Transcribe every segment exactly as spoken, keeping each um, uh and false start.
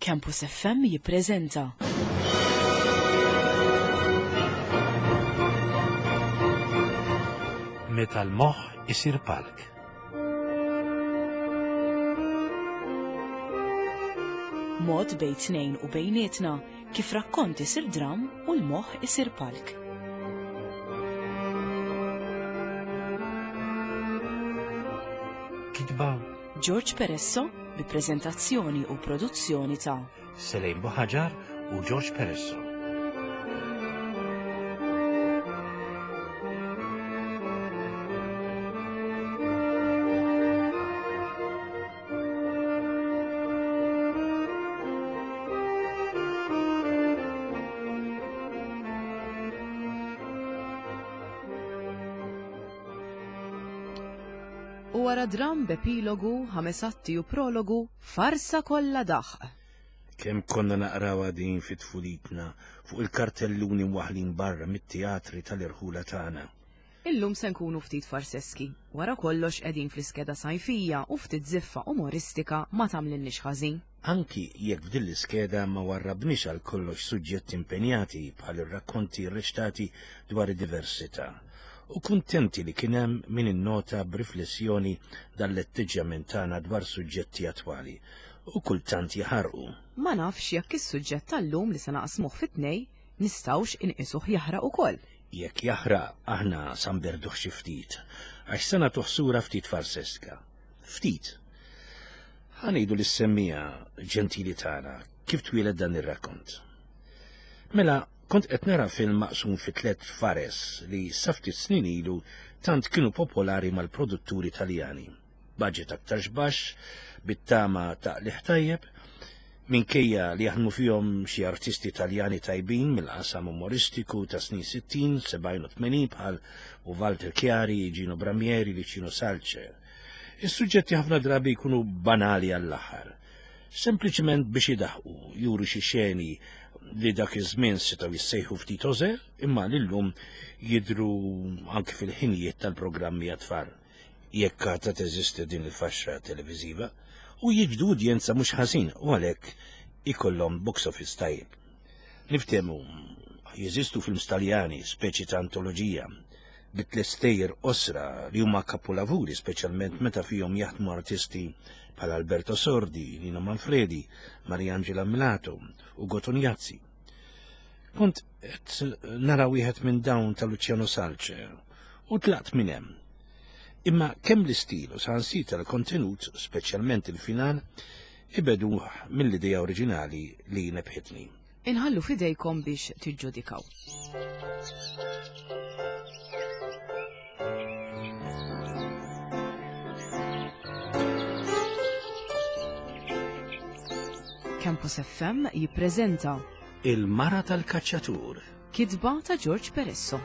Campus F M jippreżenta Meta l-moħħ isir palk. Mod bejn tnejn u bejnietna kif rakkont isir dram u l-moħħ isir palk. Kitba George Peresso bi preżentazzjoni u produzzjoni ta' Selejn Buħaġar u George Peresso. U wara dram b'epilogu, ħames atti u prologu, farsa kollha daħq. Kemm konna naqrawha din fi tfulitna fuq il-kartelluni mwaħħlin barra mit-teatri tal-irħula tagħna. Illum se nkunu ftit farseski. Wara kollox qegħdin fl-iskeda sajfija u ftit ziffa umoristika ma tagħmlilniex ħażin. Anki jekk f'din l-iskeda ma warrabniex għal kollox suġġetti impenjati bħal ir-rakkonti rreċtati dwar id-diversità. U kuntenti li kien hemm min innota b'riflessjoni dan l-atteġġjament tagħna dwar suġġetti attwali u kultant jaħarqu. Ma nafx jekk is-suġġett tal-lum li se naqsmuh fit-tnej nistgħux inqisuh jaħraq ukoll. Jekk jaħraq aħna sa nberduh xi ftit, għax se nagħtuh sura ftit farseska. Ftit. Ħa ngħidu lis-semmija ġentili tagħna kif twieled dan ir-rakkont. Mela, kont qed nara film maqsum fi tliet fares li sa ftit snin ilu tant kienu popolari mal-produtturi Taljani. Budget aktar baxx, bit-tama ta' qligħ tajjeb, minkejja li jaħdmu fihom xi artisti Taljani tajbin mill-qasam umoristiku ta' snin sittin, sebgħin u tmenin bħal u Walter Chiari, Gino Bramieri, Licino Salce. Is-suġġetti ħafna drabi jkunu banali għall-aħħar, sempliċement biex idaħqu, juru xi xeni li dak iż-żmien setgħu jissejħu ftit ożer, imma lillum jidhru anke fil-ħinijiet tal-programmi għat-tfal, jekk għadha teżisti din il-faxxa televiżiva, u jiġbdu udjenza mhux ħażin u għalhekk ikollhom box office tajjeb. Niftehmu, jeżistu films Taljani, speċi ta' antoloġija, bi tliet stejjer qosra li huma kapolavuri, speċjalment meta fihom jaħdmu artisti bħal Alberto Sordi, Nino Manfredi, Mariangela Melato u Ugo Tognazzi. Kont qed nara wieħed minn dawn ta' Luciano Salce u tlaqt minn hemm. Imma kemm l-istil u saħansitra l-kontenut, speċjalment il-final, ibedu mill-idea oriġinali li nebħitni. Inħallu fidejkom biex tiġġudikaw. Campus F M jippreżenta Il-Mara tal-Kaċċatur, kitba ta' George Peresso.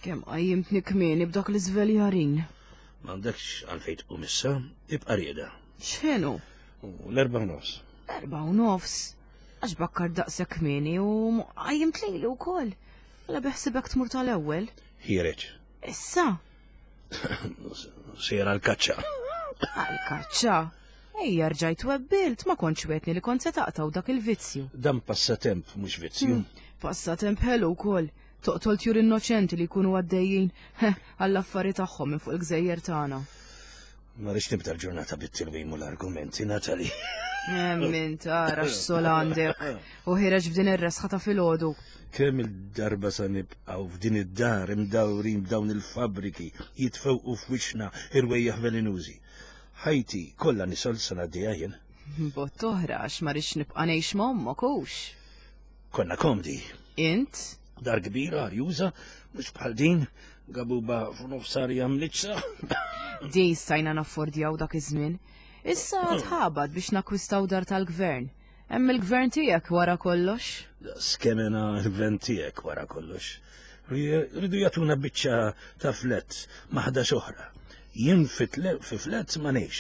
Kemm qajjimtni kmieni b'dak l-iżveljarin. M'għandekx għalfejn tqum issa, ibqa' rieda. X'inhu? U l-erba' u nofs. L-erba' u nofs? Għax bakkar daqshekk kmieni u qajjimt lejli wkoll. Mela beħsibek tmur tal-ewwel. Ħiereġ. Issa? Sejra għall-kaċċa. Għall-kaċċa? Ejja, rġajt webbilt, ma kontx wetni li kont se taqtaw dak il-vizzju. Dan passatemp mhux vizzju. Hmm, passatemp ħelu wkoll. Toqtol tjur innoċenti li jkunu għaddejjin għall-affari tagħhom minn fuq il-gżejjer tagħna. Ma rridx nibda l-ġurnata bit-tilwim u l-argumenti, Natali. Min tara x'sol għandek u ħireġ f'din ir-resħa ta' filgħodu. Kemm il-darba sa nibqgħu f'din id-dar imdawrin b'dawn il-fabbriki jitfewqu f'wiċċna irwejjaħ velenużi. Ħajti kollha nisol sa ngħaddiha jien. Bott oħra għax ma rridx nibqa' ngħix ma' ommok hux. Konna komdi. Int? Dar kbira, arjuża, mhux bħal din, gabuba f'nofsarja mliċsa. Din stajna naffordjaw dak iż-żmien. Issa tħabad biex nakkwistaw dar tal-gvern. Hemm il-gvern tiegħek wara kollox. Skemena l-gvern tiegħek wara kollox. Ridu jagħtuna biċċa ta' flet ma' ħdax oħra. Jien fi flet ma ngħix.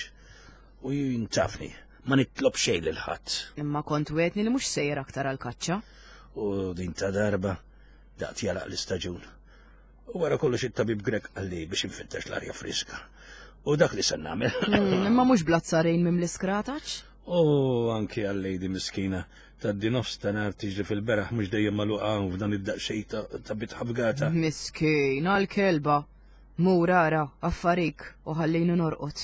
U jintafni, ma nitlob xejn lil ħadd. Imma kont wetni li mhux sejjer aktar għall-kaċċa. U din ta' darba daqt jalaq l-istaġun. U wara kollox it-tabib Grek qalli biex infittex l-arja friska. U dak li se nagħmel. Imma mhux blazzarejn mim l-iskrataċ? U anki għal-lejdi miskina taddi nofs ta' nar tiġri fil-beraħ mhux dejjem magħluqa f'dan id-daqsxejn ta' bitħa fgata. Miskina l-kelba. Mur ara, affarik u ħallini norqod.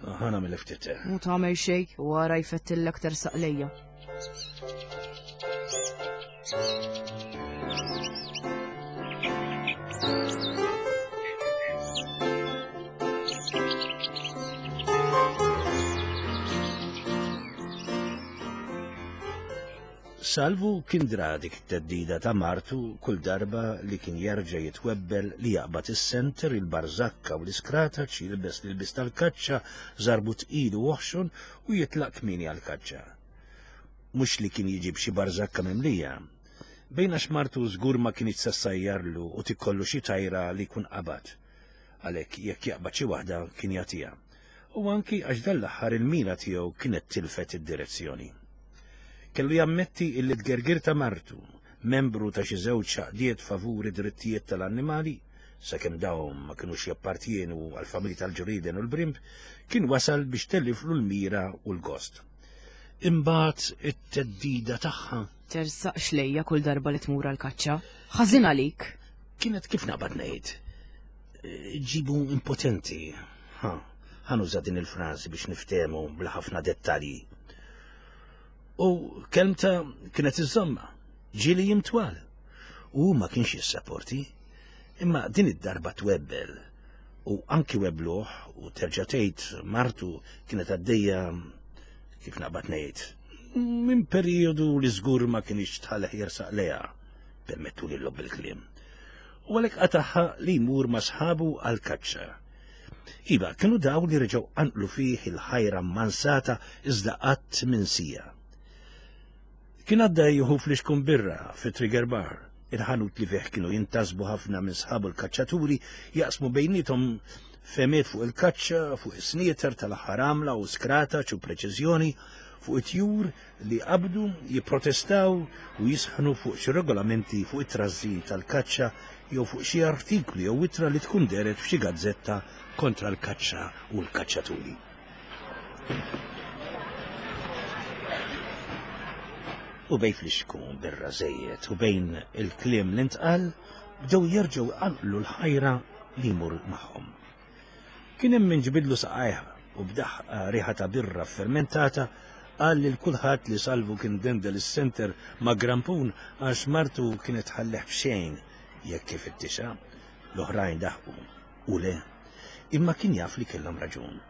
Ħa nagħmel ftit. Mu tagħmel xejn u wara jfettillek tersaq lejja. Salvu kien dra dik it-teddida ta' martu kull darba li kien jerġa' jitwebbel li jaqbad is-senter, il-barżakka u l-iskrataċ, jilbes l-ilbis tal-kaċċa, żarbu tqil u oħxon u jitlaq kmieni għall-kaċċa. Mhux li kien jiġi b'xi barżakka mimlija. Bejn għax martu żgur ma kinitx se ssajjarlu u tikkollu xi tajra li jkun qabad. Għalhekk jekk jaqbad xi waħda kien jagħtiha. U anki għax dan l-aħħar il-mira tiegħu kienet tilfet id-direzzjoni. Kellu jammetti illi tgergir ta' martu, membru ta' xi żewġ xaqdiet favuri drittijiet tal-annimali, sakemm dawn ma kinux jappartjenu għall-familji tal-ġuriden u l-brimb, kien wasal biex telliflu l-mira u l-gost. Imbagħad it-teddida tagħha. Tersaqx lejja kull darba li tmur għall-kaċċa. Ħażin għalik. Kienet kif naqbad ngħid. Ġibu impotenti. Ha, ħanuża din il-frażi biex niftehmu bla ħafna dettalji. U kelmta kienet iżomma, ġieli jimtwal. U ma kienx jissaporti, imma din id-darba twebbel. U anki webluħ u terġa' tgħid martu kienet għaddejja kif naqbad ngħid, minn perjodu li żgur ma kienx tħalleħ jersaq lejha, permettu li lob il-kliem. U għalhekk qataħħa li jmur ma' sħabu għall-kaċċa. Iva, kienu daw li reġgħu qanqlu fih il-ħajra mansata iżda qatt minsija. Kien għadda jieħu flixkun birra fi Trigger Bar, il-ħanut li fih kienu jintasbu ħafna minn sħabu l-kaċċaturi jaqsmu bejnietom femiet fuq il-kaċċa, fuq is-snieter tal-aħħar għamla u skrataċ u preċiżjoni, fuq it-tjur li qabdu jipprotestaw u jisħnu fuq xi regolamenti fuq it-trażżin tal-kaċċa jew fuq xi artikli jew ittra li tkun deret f'xi gazzetta kontra l-kaċċa u l-kaċċaturi. U bejn flixkun birra żejjed u bejn il-kliem li ntqal bdew jerġgħu jqanqlu l-ħajra li jmur magħhom. Kien hemm min ġbidlu saqajha u b'daħqa riħa ta' birra fermentata qal lil kulħadd li Salvu kien dendel is-senter ma' grampun għax martu kienet ħalleħ b'xejn jekk kif ittixa. L-oħrajn daħqu u le, imma kien jaf li kellhom raġun.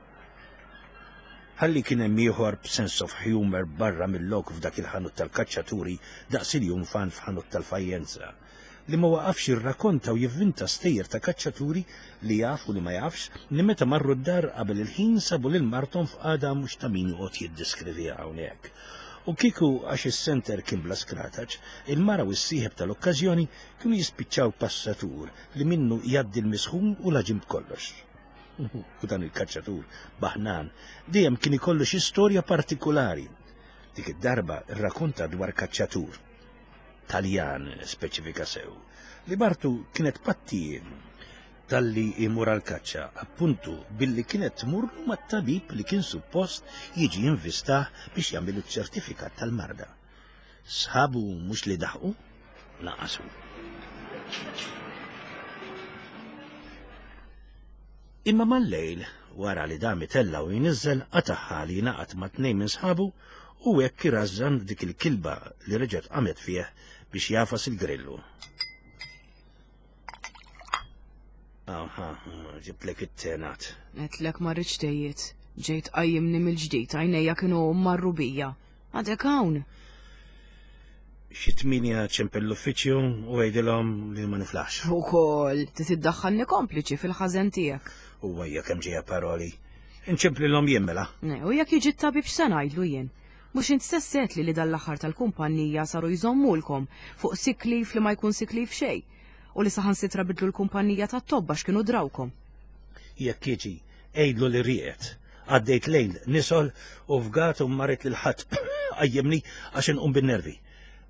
Ħalli kien hemm ieħor b'sense of humor barra mill-lok f'dak il-ħanut tal-kaċċaturi daqs il-jum fan f'ħanut tal-fajjenza, li ma waqafx jirrakkonta u jivvinta stejjer ta' kaċċaturi li jaf u li ma jafx li meta marru d-dar qabel il-ħin sabu lil marthom f'qagħda mhux ta' min joqgħod jiddiskriviha hawnhekk. U kieku għax is-senter kien bla skrataċ, il-mara u s-sieħeb tal-okkażjoni kienu jispiċċaw passatur li minnu jgħaddi l-misħun u laġim b'kollox. U dan il-kaċċatur baħnan dejjem kien ikollu xi storja partikulari. Dik id-darba rrakkonta dwar kaċċatur Taljan speċifika sew, li martu kienet pattijiem talli imur għal-kaċċa, appuntu billi kienet tmurlu mat-tabib li kien suppost jiġi jinvistah biex jagħmel iċ-ċertifikat tal-marda. Sħabu mhux li daħqu, naqasu. Imma mal-lejl, wara li dam itella u jniżżel, qataħħa li jingħaqad ma' tnejn minn sħabu u hekk irażżan dik il-kilba li reġgħet qamet fih biex jafas il-grillu. Aha, ġibtlek it-tenat. Għedtlek ma rridx tejjiet. Ġejt qajjimni mill-ġdid, għajnejja kienu marru bija. Għadek hawn. Xi tmienja ċempel l-uffiċċju u għidilhom li ma niflax. Ukoll, titiddaħħalni kompliċi fil-ħażen tiegħek. U għajja kemm ġejja paroli. Inċemplilhom jien mela. Ne, u jekk jiġi t-tabib x'se ngħidlu jien? Mhux int stess għedtli li dan l-aħħar tal-kumpanija saru jżommulkom fuq sick leave li ma jkun sick leave xejn. u li saħansitra bidlu l-kumpanija tat-tobba x'kienu drawkom. Jekk jiġi, għidlu li rieqed. Għaddejt lejl nisol u fgat u marret lil ħadd qajjimni għax inqum bin-nervi.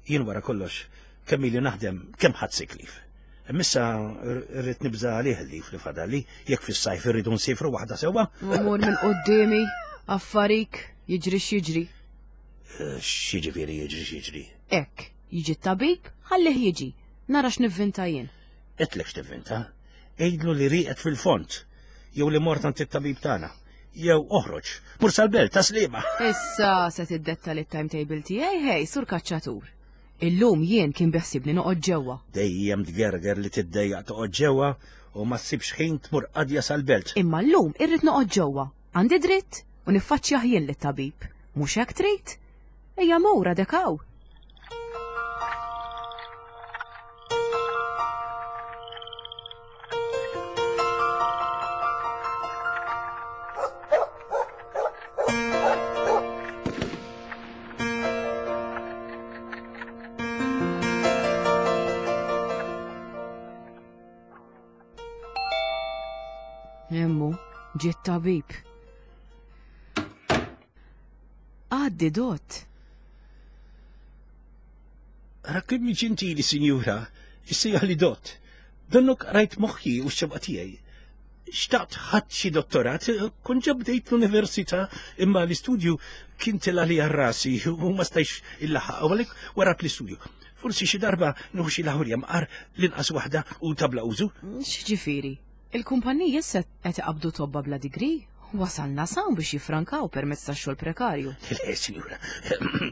Jien wara kollox kemm ili naħdem kemm ħadd sick leave. Missa rrid nibża għalih li li fadali, jekk fis-sajf irridu nsifru waħda sewwa. Mur minn quddiemi, affarik, jiġri x'jiġri. X'jiġifieri jiġri x'jiġri? Hekk, jiġi t-tabib, ħallih jiġi. Nara x'nivvinta jien. Għedtlek x'tivvinta. Għidlu li rieqed fil-fond, jew li mort għand it-tabib tagħna, jew oħroġ. Mur sal-belt ta' Sliema. Issa se tiddetta li timetable tiegħi ħej sur kaċċatur. Illum jien kien biħsibni noqgħod ġewwa. Dejjem tgerger li tiddejjaq toqgħod ġewwa u ma ssibx ħin tmur qadja sal-belt. Imma llum irrid noqgħod ġewwa. Għandi dritt u niffaċċjah jien lit-tabib. Mhux hekk trid? Ejja mur għadek hawn. Emmu, ġiet tabib. Għaddi dot. Ra kemm ġentili, sinjura, issejjaħ li dot. Donnok rajt moħħi u x-xewqa tiegħi. Xtaqt ħadd xi dottorat, kont ġa bdejt l-università, imma l-istudju kien tela' li għal rasi u ma stajx illaħaq, u għalhekk warat l-istudju. Forsi xi darba nieħu xi lawrja mqar l-inqas waħda u tabla użu. X'ġifieri? Il-kumpaniji issa qed iqabdu tobba bla degree? Wasalna sawn biex jifrankaw permezz tax-xogħol prekarju. Le, sinjura,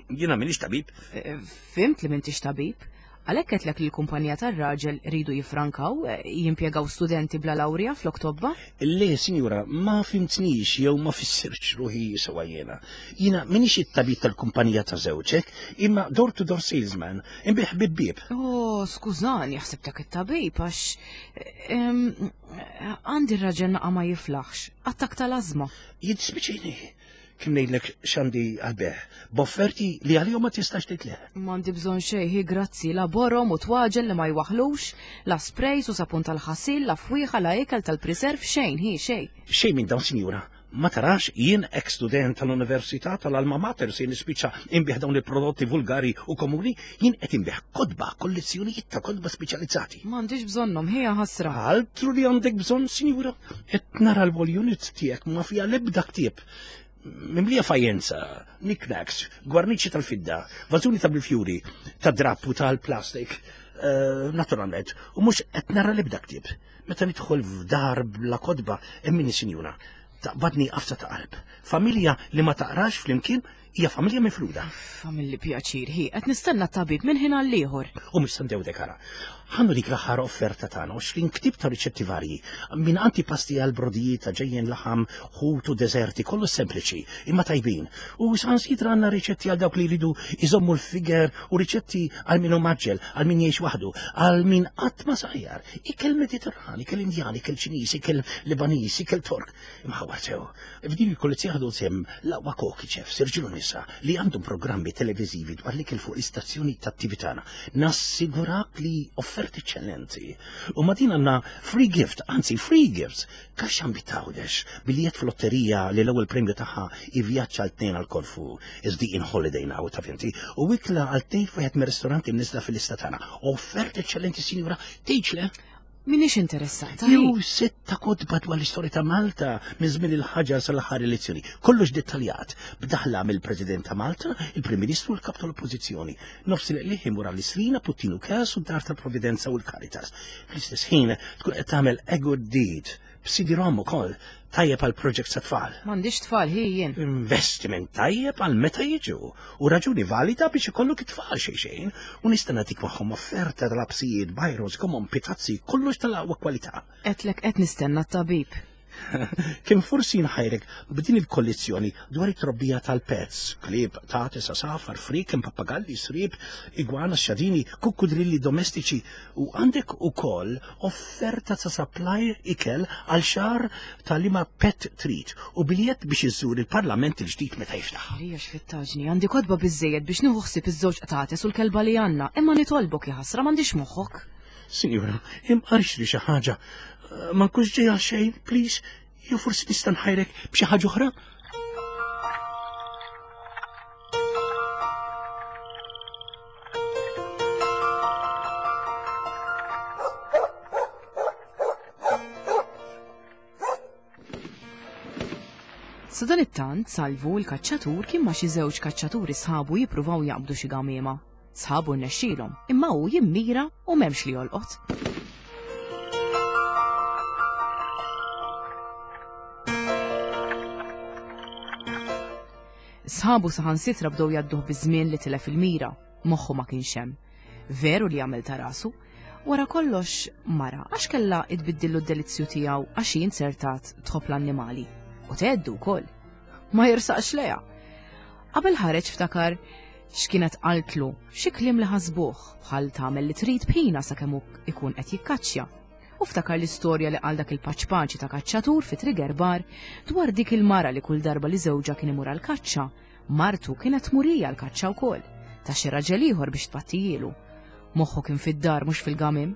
jiena m'iniex tabib. Eh, Fhimt li m'intix tabib. Għalhekk għedtlek li l-kumpanija tar-raġel ridu jifrankaw, eh, jimpjegaw studenti bla lawrja flok tobba? Le, sinjura, ma fhimtnix jew ma fissirx ruħi sewa jiena. Jiena m'iniex it-tabib tal-kumpanija ta' żewġek, imma door to door salesman, inbigħ bieb bieb. Oh, skużani, ħsibtek it-tabib għax em, għandi r-raġel naqa ma jiflaħx, attak tal-ażma. Jiddispjaċini, kim ngħidlek x'għandi għall-bejgħ, b'offerti li għalihom ma tistax tgħid le. M'għandi bżonn xejn, hi grazzi, la borom u twaġel li ma jwaħlux, la sprays u sapun tal-ħasil, la fwieħa, la ikel tal-preserve, xejn, hi xejn. Xejn minn dawn, sinjura, ma tarax jien ex-student tal-Università tal-Alma Mater se nispiċċa inbigħ dawn il-prodotti vulgari u komuni, jien qed inbigħ kotba, kollezzjonijiet ta' kotba speċjalizzati. M'għandix bżonnhom, hi ħasra. Altru li għandek bżonn, sinjura, qed nara l-wall unit tiegħek ma fiha l-ebda ktieb. Mimlija fajenza, knickknacks, gwarniċi tal-fidda, vażuni ta' bil-fjuri, ta' drapp u tal-plastik, eh, naturalment, u mhux qed nara l-ebda ktieb. Meta nidħol f'dar bla kotba, emmini sinjura, taqbadni għafsa ta' qalb. Familja li ma taqrax flimkien hija familja mifruda. Familli pjaċir, hi, qed nistenna t-tabib minn ħin għall-ieħor. U mhux se ndewdek ara. Ħa nurik l-aħħar offerta tagħna għoxrin ktieb ta' riċetti varji, minn antipasti għal brodijiet ta' ġejjen laħam, ħut u deżerti, kollu sempliċi, imma tajbin. U saħansitra għandna riċetti għal dawk li jridu iżommu l-figure u riċetti għal min hu mgħaġġel, għal min jgħix waħdu, għal min qatt ma sajjar. Ikel Mediterran, ikel Indjan, ikel Ċiniż, ikel Libaniż, ikel Tork. Imħawar sew. F'din il-kollezzjoni ħadu sehem l-aqwa koki chefs, irġiel u nisa li għandhom programmi televiżivi dwar l-ikel fuq l-istazzjoni tat-T V tagħna. Nassigurak li offerti eċċellenti. U ma' din għandna free gift, anzi free gifts, kaxxa bitawdex, biljett f'lotterija li l-ewwel premju tagħha ivvjaġġ għal tnejn għal Korfu, is the in holiday now ta' finti, u ikla għal tnejn f'wieħed mir-ristoranti mniżla fil-lista tagħna. Offerti eċċellenti, sinjura, tgħidx le? Minix interessata. Jew setta kotba dwar l-istorja ta' Malta minn żmien il-ħaġar sal-aħħar elezzjoni. Kollox dettaljat, b'daħla mill-President ta' Malta, il-Prim Ministru u l-Kap tal-Oppożizzjoni. Nofs il-qliħ imur għall-Istrina, Puttinu Cares u d-Dar tal-Providenza u l-Caritas. Fl-istess ħin tkun qed tagħmel a good deed b'C D ROM ukoll tajjeb għal project ta' tfal. M'għandix tfal hi jien. Investiment tajjeb għal meta jiġu u raġuni valida biex ikollok it-tfal xejn xejn u nista' nagħtik magħhom offerta tal-lapsijiet, bajros, gomom, pitazzi, kollox tal-aqwa kwalità. Għedtlek qed nistenna t-tabib. Kien forsi nħajrek b'din il-kollezzjoni dwar it-trobbija tal-pets, klieb, qtates, għasafar, frieken, pappagalli, sriep, igwana, xadini, kukkudrilli domestiċi u għandek ukoll offerta ta' supply ikel għal xahar tal-liema pet trid u biljett biex iżżur il-Parlament il-ġdid meta jiftaħ. Rija x'fittaġni, għandi kotba biżejjed biex nieħu ħsieb iż-żewġ qtates u l-kelba li għandna, imma nitolbok jaħasra m'għandix moħħok. Sinjura, imqar xtri xi ħaġa. Ma nkunx ġej għal xejn, please. Jew forsi nista' nħajrek b'xi ħaġa oħra? Sadanittant, Salvu l-kaċċatur kien ma' xi żewġ kaċċaturi sħabu jippruvaw jaqbdu xi gamiema. Sħabu rnexxielhom, imma hu jimmira u m'hemmx li jolqot. Sħabu saħansitra bdew jgħadduh biż-żmien li tilef il-mira, moħħu ma kienx hemm. Veru li għamel ta' rasu, wara kollox mara għax kellha tbiddillu d-delizzju tiegħu għax hi inzertat tħobb l-annimali. U tgħeddu wkoll. Ma jirsaqx leha. Qabel ħareġ ftakar x'kienet qaltlu, xi kliem li ħasbuh bħal tagħmel li trid bħina sakemm hu ikun qed jikkaċċja. U ftakar l-istorja li qal dak il-paċpaċi ta' kaċċatur fi Trigger Bar dwar dik il-mara li kull darba li żewġha kien imur għall-kaċċa, martu kienet murija l-kaċċa wkoll, ta' xi raġel ieħor biex tpattijielu. Moħħu kien fid-dar mhux fil-gamim.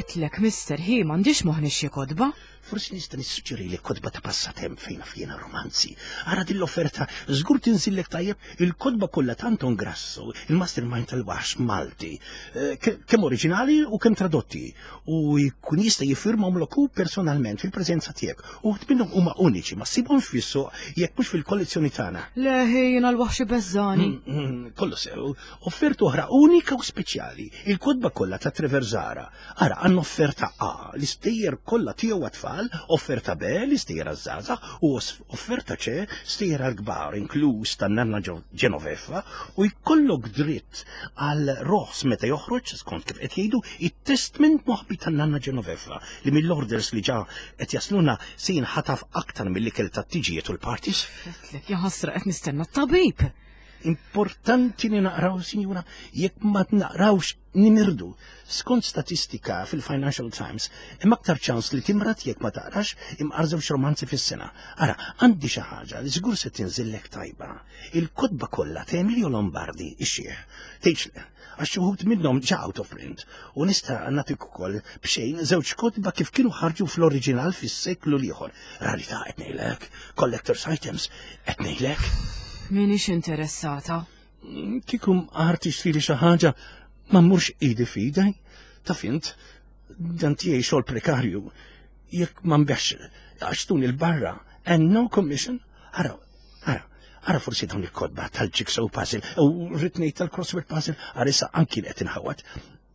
Għedtlek, mister, hi, m'għandix moħħ nixtri kotba. Forsi nista' nissuġġeri li kotba ta' passatemp fejn fjena romanzi. Ara din l-offerta, żgur tinżillek tajjeb il-kotba kollha ta' Anton Grasso, il-mastermind tal-waħx Malti, eh, ke- kemm oriġinali u kemm tradotti. U jkun jista' jiffirmahom hu personalment fil-preżenza tiegħek. U minnhom huma uniċi, ma ssibhomx fis-suq jekk mhux fil-kollezzjoni tagħna. Le, hi, jiena l-waħx ibeżżagħni. Mm, mm, Kollu sew, offerta oħra unika u speċjali, il-kotba kollha ta' Trevor Zahra. Ara, għandna offerta A, l-istejjer kollha tiegħu għat-tfal, offerta B, l-istejjer għaż-żgħażagħ, u offerta C, stejjer għall-kbar, inkluż tan-nanna Genoveffa, u jkollok dritt għal roħs meta joħroġ, skont kif qed jgħidu, it-testment moħbi tan-nanna Genoveffa, li mill-orders li ġa qed jasluna se jinħataf aktar mill-ikel tat-tiġijiet u l-parties. Għedtlek, jaħasra qed nistenna t-tabib. Importanti li naqraw, sinjura, jekk ma naqrawx nimirdu. Skont statistika fil-Financial Times, hemm aktar ċans li timrad jekk ma taqrax imqar żewġ romanzi fis-sena. Ara, għandi xi ħaġa li żgur se tinżillek tajba. Il-kotba kollha ta' Emilio Lombardi, ix-xiħ. Tgħidx le, għax xi wħud minnhom ġa out of print. U nista' nagħtik ukoll b'xejn żewġ kotba kif kienu ħarġu fl-oriġinal fis-seklu l-ieħor. Rarità qed ngħidlek, collector's items qed ngħidlek. Minix interessata. Kieku mqar tixtrili xi ħaġa, ma mmurx idi f'idi. Taf int, dan tiegħi xogħol prekarju. Jekk ma nbigħx għax tuni l-barra, and no commission. Ara, ara, ara forsi dawn il-kotba tal-jigsaw puzzle u ritnejt tal-crossword puzzle, ara issa anki qed inħawat.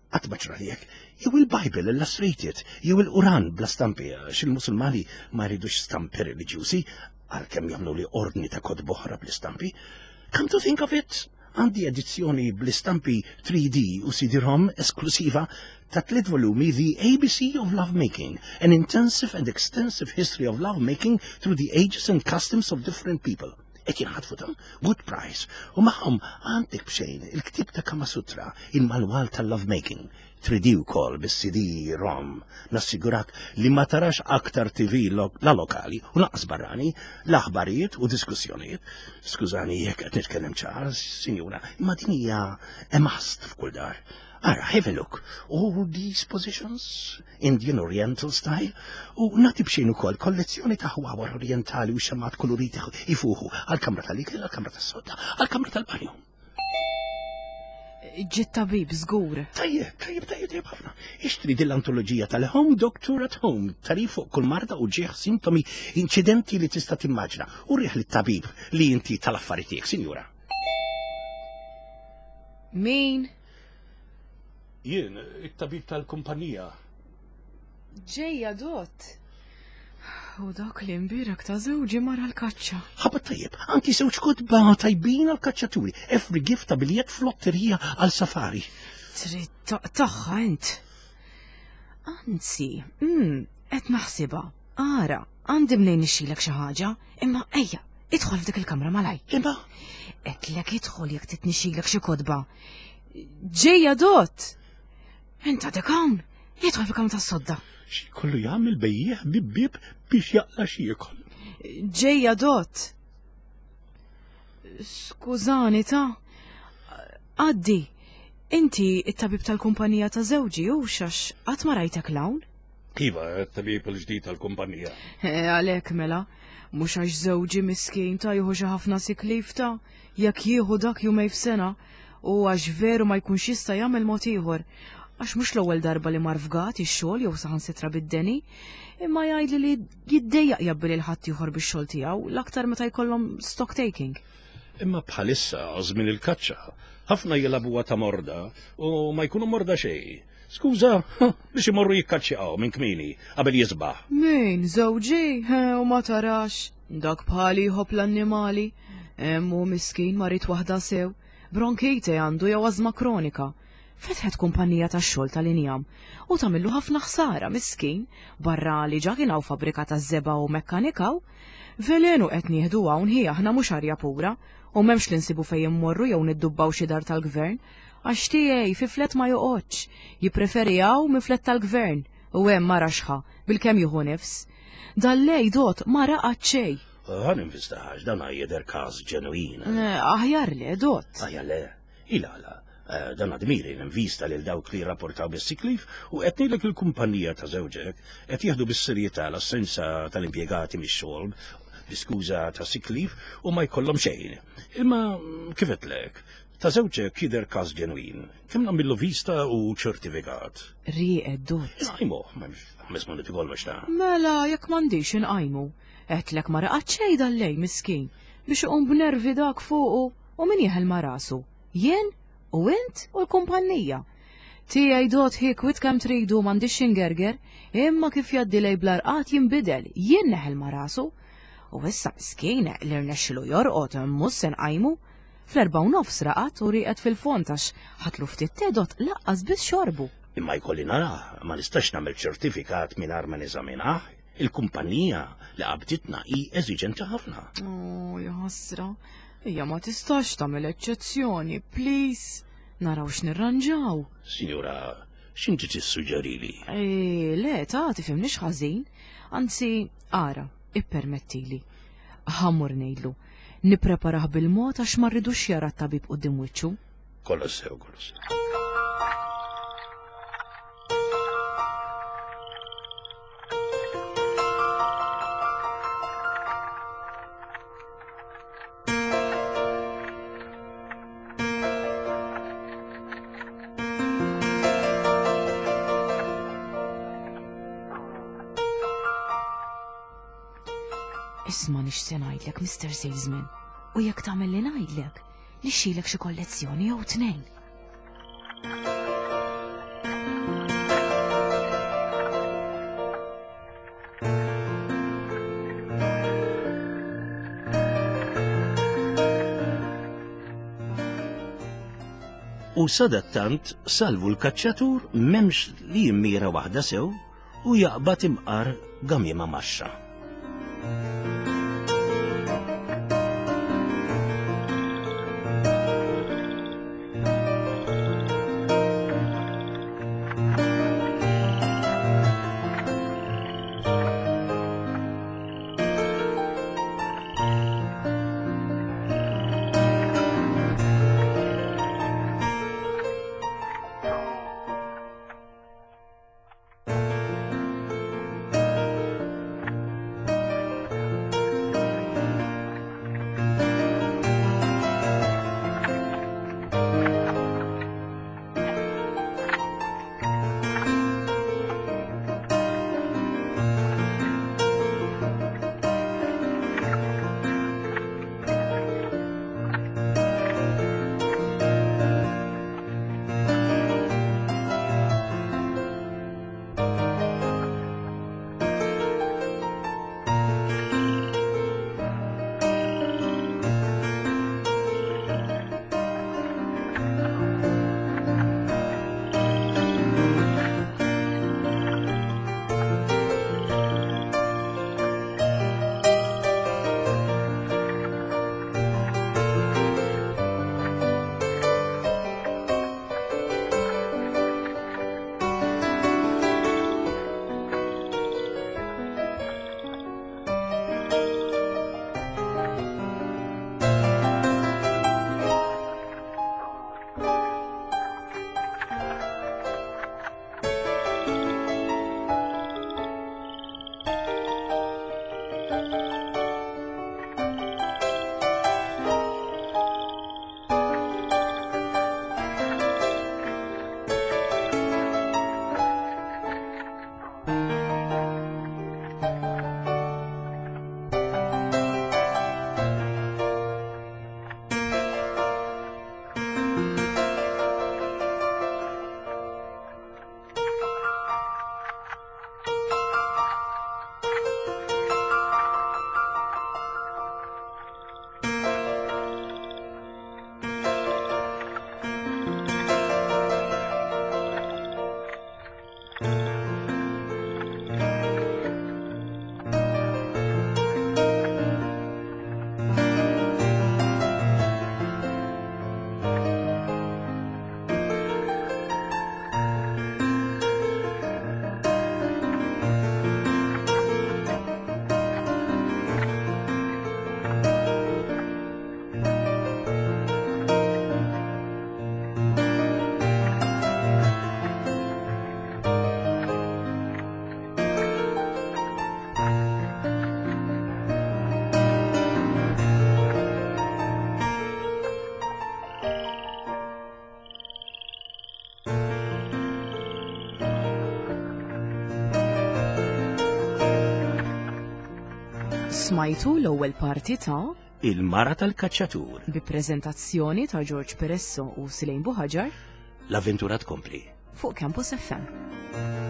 Qatt ma ġralek, jew il-Bible illustrated, jew il-Quran bla stampi, għax il-Musulmani ma jridux stampi reliġjużi, għalkemm jagħmlu li ordni ta' kotba oħra bl-istampi. Come to think of it, għandi edizzjoni bl-istampi three D u C D-ROM esklusiva ta' tliet volumi The A B C of Lovemaking, an intensive and extensive history of lovemaking through the ages and customs of different people. Qed jinħatfu ta' good price. U magħhom għandek b'xejn il-ktib ta' Kama Sutra, il-manwal tal-lovemaking. three D ukoll bis-C D ROM. Nassigurak li ma tarax aktar T V lo la lokali u lanqas barrani, l-aħbarijiet u diskussjonijiet. Skużani jekk qed nitkellem ċar, sinjura, imma din hija a must f'kull dar. Ara, have a look. All these positions, Indian Oriental style, u nagħti b'xejn ukoll kollezzjoni ta' ħwawar orientali u xemgħat koloriti ifuħu għal-kamra tal-ikel, għal-kamra tas-sodda, għal-kamra tal-banju. Ġie t-tabib, żgur. Tajjeb, tajjeb, tajjeb, tajjeb ħafna. Ixtri din l-antoloġija tal-Home Doctor at Home, tarif fuq kull marda u ġieħ sintomi inċidenti li tista' timmaġna. U rih lit-tabib li inti tal-affari tiegħek, sinjura. Min? Jien, it-tabib tal-kumpanija. Ġejja, dott. U dak li mbirek ta' żewġi mar l-kaċċa. Ħabat tajjeb, anki żewġ kotba tajbin għal-kaċċaturi. Every gift ta' biljett flotterija għal safari. Trid taqtagħha int. Anzi, mm, qed naħsibha. Ara, għandi mnejn nixtrilek xi ħaġa, imma ejja, idħol f'dik il-kamra malaj. Imma, Għedtlek idħol jekk trid nixtrilek xi kotba. Ġejja, dott. Int għadek hawn, idħol fil-kamra tas-sodda. Xi kollu jagħmel bejjiegħ bib bib biex jaqla' xi jiekol. Ġejja, dott. Skużani ta' Għaddi, inti it-tabib tal-kumpanija ta' żewġi u xax qatt ma rajtek l-hawn? Iva, it-tabib il-ġdid tal-kumpanija. Eh, għalhekk mela, mhux għax żewġi miskin ta' jieħu xi ħafna sick leave ta' jekk jieħu dak jumej f'sena u għax veru ma jkunx jista' jagħmel mod ieħor. Għax mhux l-ewwel darba li mar fgat ix-xogħol jew saħansitra bid-deni, imma jgħidli li jiddejjaq jabbi lil ħadd ieħor bix-xogħol tiegħu l-aktar meta jkollhom stock taking. Imma bħalissa żmien il-kaċċa, ħafna jilagħbuha ta' morda u ma jkunu morda xejn. Skuża, biex imorru jikkaċċjaw minn kmini qabel jisbaħ. Min, żewġi, u ma tarax, dak bħali jħobb l-annimali. Hemm hu miskin marid waħda sew, bronkite għandu jew ażma kronika. Fetħet kumpanija tax-xogħol tal-injam u tagħmillu ħafna ħsara miskin, barra li ġa kien hawn fabbrika taż-żebgħa u mekkanikaw. Velenu qed nieħdu hawn hi aħna mhux arja pura u m'hemmx li nsibu fejn immorru jew niddubbaw xi dar tal-gvern. Għax tiegħi fi flet ma joqgħodx, jippreferi hawn minn flet tal-gvern u hemm ma raxħa bilkemm jieħu nifs. Dal-lej dot ma raqad xejn. Ħa ninvistax, dan jidher każ ġenwin. Eh, aħjar le, dot. Aħjar le, il-għala. Eh, dan admiri ninvista lil dawk li rapportaw bis-sick leave u qed ngħidlek il-kumpanija ta' żewġek qed jieħdu bis-serjetà l-assenza tal-impjegati mix-xogħol bi skuża ta' sick leave u ma jkollhom xejn. Imma kif qedlek, ta' żewġek jidher każ ġenwin. Kemm nagħmillu vista u ċertifikat. Rieqed dot. Inqajmu, m'hemmx ħames minuti kollox ta' Mela, jekk m'għandix inqajmu. Qedlek ma raqad xejn dal-lej miskin biex iqum b'nervi dak fuqu u min jeħel ma' rasu. Jien u int u l-kumpanija. Tiegħi dot hi kwit kemm tridu m'għandix ingerger, imma kif jgħaddi lej bl-arqat jinbidel, jien neħel ma' rasu. U issa miskin li rnexxilu jorqod mhux se nqajmu. Fl-erba' u nofs raqad u rieqed fil-fond għax ħatlu ftit tedot laqqas biss xorbu. Imma jkolli narah, ma nistax nagħmel ċertifikat mingħajr ma neżaminah. Il-kumpanija li qabditna hi eżiġenti ħafna. Oh, ja ħasra. Ija ma tistax tagħmel eċċezzjoni, please. Naraw x'nirranġaw. Sinjura, x'inti tissuġġerili? E, le, ta' tifhimnix ħażin. Anzi, ara, ippermettili. Ħa mmur ngħidlu. Nippreparah bil-mod għax ma rridux jara t-tabib quddiem wiċċu. Kollox sew, kollox sew. Isma' nix se ngħidlek, Mister Salesman, u jekk tagħmel li ngħidlek, nixxilek xi kollezzjoni jew tnejn. U sadattant salvu l-kaċċatur m'hemmx li jimmira waħda sew u jaqbad imqar gamiema maxxa. Smajtu l-ewwel parti ta' Il-mara tal-kaċċatur. bi preżentazzjoni ta' George Peresso u Silejn Buħaġar L-avventura tkompli. fuq Campus F M.